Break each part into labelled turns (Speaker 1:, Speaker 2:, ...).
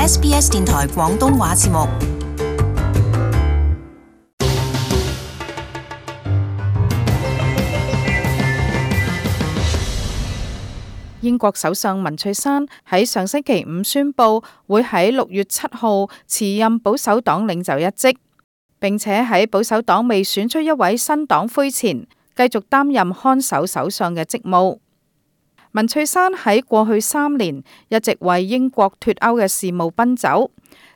Speaker 1: SBS 電台廣東話節目。
Speaker 2: 英國首相文翠珊喺上星期五宣布會喺6月7號辭任保守黨領袖一職，並且喺保守黨未選出一位新黨魁前，繼續擔任看守首相嘅職務。文翠珊喺過去3年一直為英國脫歐嘅事務奔走，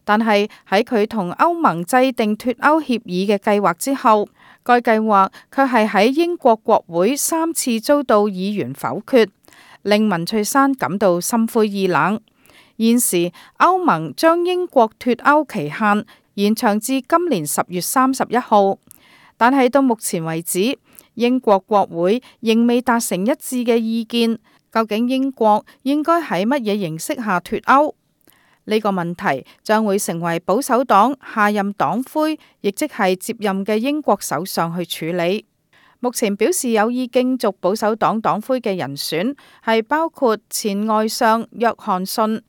Speaker 2: 但係喺佢同歐盟制定脫歐協議嘅計劃之後，該計劃卻係喺英國國會3次遭到議員否決，令文翠珊感到心灰意冷。現時歐盟將英國脫歐期限延長至今年10月31號，但係到目前為止，英國國會仍未達成一致嘅意見。究竟英國應該喺乜嘢形式下脫歐？呢個問題將會成為保守黨下任黨魁，亦即係接任嘅英國首相去處理。目前表示有意競逐保守黨黨魁嘅人選係包括前外相約翰遜、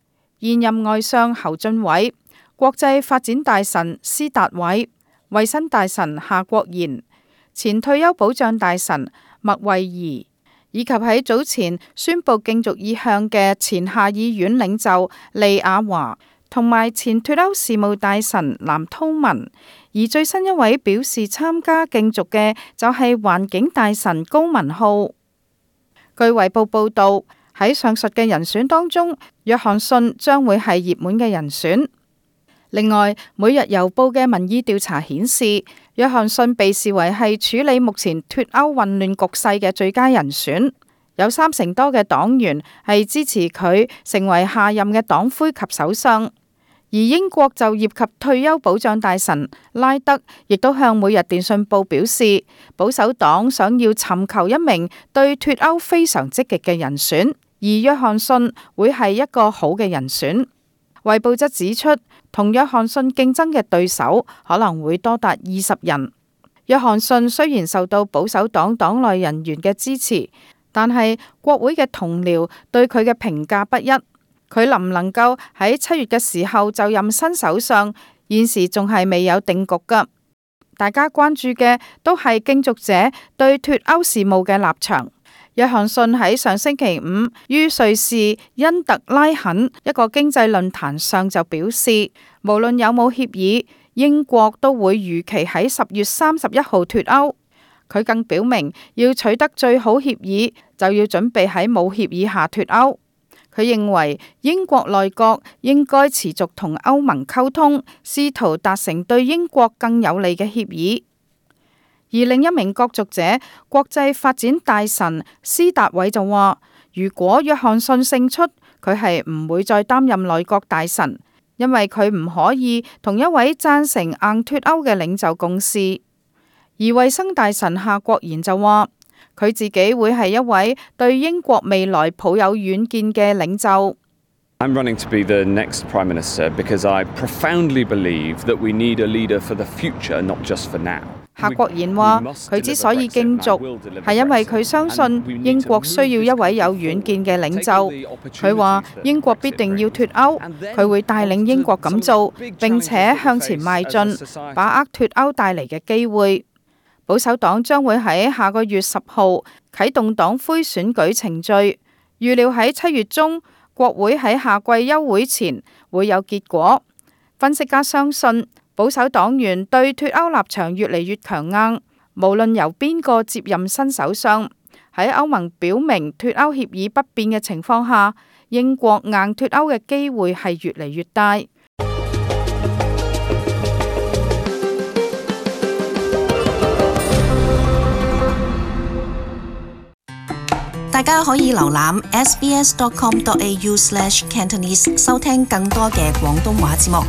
Speaker 2: 現任外相侯俊偉、國際發展大臣施達偉、衛生大臣夏國賢、前退休保障大臣麥惠儀，以及喺早前宣布競逐意向嘅前下議院領袖利雅華，同埋前脫歐事務大臣藍韜文。而最新一位表示參加競逐嘅就係環境大臣高文浩。據衛報報道，喺上述嘅人選當中，約翰遜將會係熱門嘅人選。另外，每日郵報嘅民意調查顯示，約翰遜被視為係處理目前脫歐混亂局勢嘅最佳人選，有30%多嘅黨員係支持佢成為下任嘅黨魁及首相。而英國就業及退休保障大臣拉德亦都向每日電訊報表示，保守黨想要尋求一名對脫歐非常積極嘅人選，而約翰遜會係一個好嘅人選。衛報則指出，同約翰遜競爭嘅對手可能會多達20人。約翰遜雖然受到保守黨黨內人員嘅支持，但係國會嘅同僚對佢嘅評價不一。佢能唔能夠喺7月嘅時候就任新首相，現時仲係未有定局㗎。大家關注嘅都係競逐者對脫歐事務嘅立場。約翰遜喺上星期五於瑞士因特拉肯一個經濟論壇上就表示，無論有冇協議，英國都會如期喺10月31號脫歐。佢更表明，要取得最好協議，就要準備喺冇協議下脫歐。佢認為英國內閣應該持續同歐盟溝通，試圖達成對英國更有利嘅協議。而另一名角逐者國際發展大臣施達偉就話，如果約翰遜勝出，佢係唔會再擔任內閣大臣，因為佢唔可以同一位贊成硬脫歐嘅領袖共事。而衛生大臣夏國賢就話，佢自己會係一位對英國未來抱有遠見嘅領袖。
Speaker 3: I'm running to be the next Prime Minister because I profoundly believe that we need a leader for the future, not just for now.
Speaker 2: 夏國賢話，佢之所以競逐，係因為佢相信英國需要一位有遠見嘅領袖。佢話英國必定要脫歐，佢會帶領英國咁做，並且向前邁進，把握脫歐帶嚟嘅機會。保守黨將會喺下個月10號啟動黨魁選舉程序，預料喺7月中，國會喺夏季休會前會有結果。分析家相信，保守黨員對脫歐立場越嚟越強硬，無論由邊個接任新首相，喺歐盟表明脫歐協議不變嘅情況下，英國硬脫歐嘅機會係越嚟越大。
Speaker 1: 大家可以瀏覽 sbs.com.au/cantonese 收聽更多嘅廣東話節目。